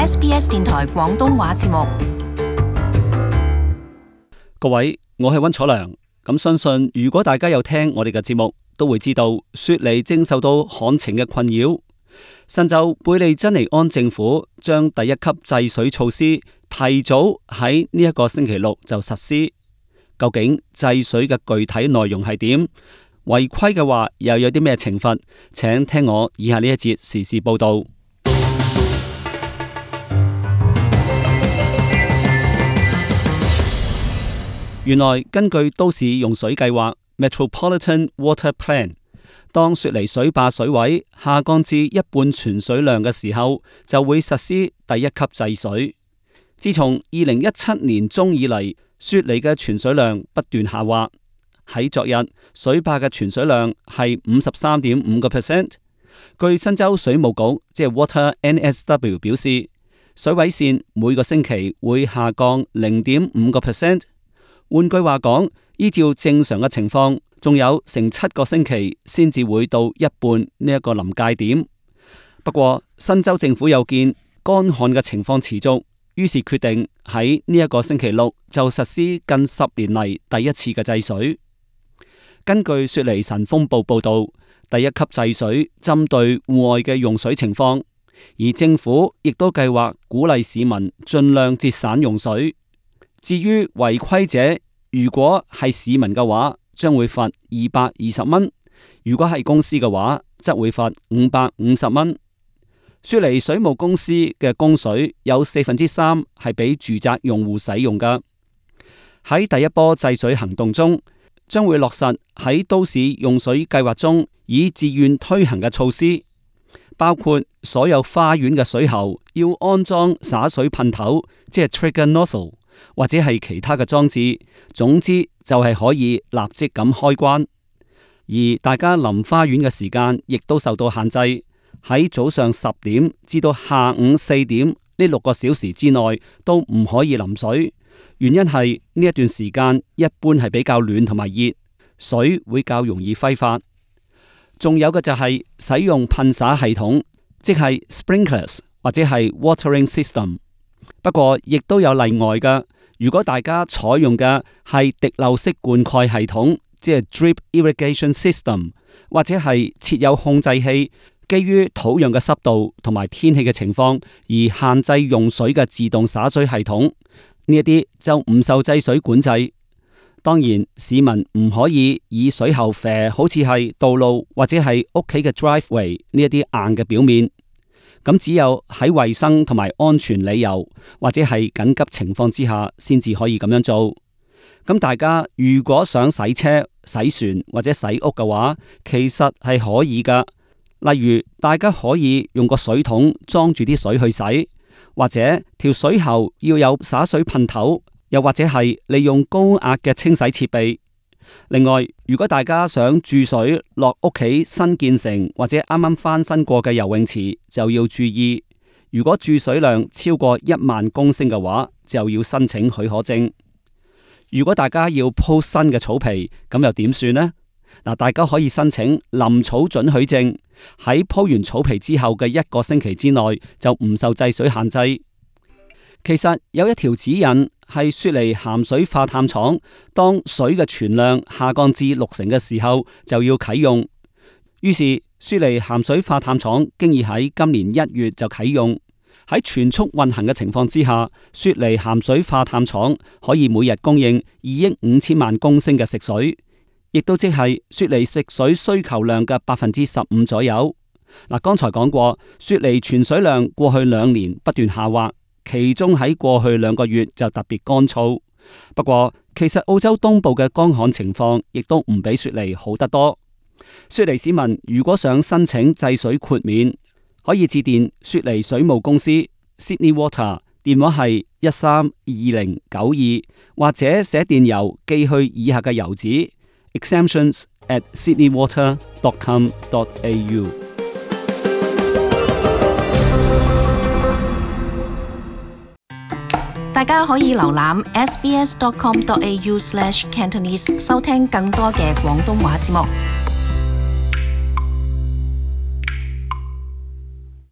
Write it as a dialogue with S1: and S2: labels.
S1: SBS 電台廣東話節目。
S2: 各位，我係溫楚良。咁相信如果大家有聽我哋嘅節目，都會知道雪梨正受到旱情嘅困擾。新州貝利珍尼安政府將第一級制水措施提早喺呢一個星期六就實施。究竟制水嘅具體內容係點？違規嘅話又有啲咩懲罰？請聽我以下呢一節時事報道。原來根據都市用水計劃 Metropolitan Water Plan， 當雪梨水壩水位下降至一半存水量嘅時候，就會實施第一級制水。自從2017年中以嚟，雪梨嘅存水量不斷下滑。喺昨日，水壩嘅存水量係 53.5%。據新州水務局即係 Water NSW 表示，水位線每個星期會下降 0.5%。換句話講，依照正常嘅情況，仲有成7個星期先至會到一半呢一個臨界點。不過新州政府有見乾旱嘅情況持續，於是決定喺呢一個星期六就實施近10年嚟第一次嘅制水。根據雪梨晨鋒報報道，第一級制水針對戶外嘅用水情況，而政府亦都計劃鼓勵市民盡量節省用水。至於違規者，如果係市民嘅話，將會罰220蚊；如果係公司嘅話，則會罰550蚊。雪梨水務公司嘅供水有3%係俾住宅用戶使用㗎。喺第一波制水行動中，將會落實喺都市用水計劃中以自願推行嘅措施，包括所有花園嘅水喉要安裝灑水噴頭，即係 trigger nozzle，或者係其他嘅裝置，總之就係可以立即咁開關。而大家淋花園嘅時間亦都受到限制，喺早上10點至到下午4點呢6個小時之內都唔可以淋水。原因係呢一段時間一般係比較暖同埋熱，水會較容易揮發。仲有嘅就係使用噴灑系統，即係 sprinklers 或者係 watering system。不過亦都有例外㗎。如果大家採用嘅係滴漏式灌溉系統，即係 drip irrigation system， 或者係設有控制器，基於土壤嘅濕度同埋天氣嘅情況而限制用水嘅自動灑水系統，呢一啲就唔受制水管制。當然，市民唔可以以水喉啡好似係道路或者係屋企嘅 driveway 呢一啲硬嘅表面。咁只有喺衛生同埋安全理由或者係緊急情況之下，先至可以咁樣做。咁大家如果想洗車、洗船或者洗屋嘅話，其實係可以噶。例如，大家可以用個水桶裝住啲水去洗，或者條水喉要有灑水噴頭，又或者係利用高壓嘅清洗設備。另外，如果大家想注水落屋企新建成或者啱啱翻新過嘅游泳池，就要注意，如果注水量超過1萬公升嘅話，就要申請許可證。如果大家要鋪新嘅草皮，咁又點算呢？嗱，大家可以申請林草准許證，喺鋪完草皮之後嘅1個星期之內就唔受制水限制。其實有一條指引係雪梨鹹水化淡廠，當水嘅存量下降至60%嘅時候就要啟用。於是雪梨鹹水化淡廠經已喺今年1月就啟用。喺全速運行嘅情況之下，雪梨鹹水化淡廠可以每日供應2億5千萬公升嘅食水，亦都即係雪梨食水需求量嘅15%左右。嗱，剛才講過，雪梨存水量過去2年不斷下滑。其中喺過去2個月就特別乾燥。不過其實澳洲東部嘅乾旱情況亦都唔比雪梨好得多。雪梨市民如果想申請制水豁免，可以致電雪梨水務公司 Sydney Water， 電話係132092，或者寫電郵寄去以下嘅郵址 exemptions@sydneywater.com.au。
S1: 大家可以瀏覽 sbs.com.au/cantonese 收聽更多嘅廣東話節目。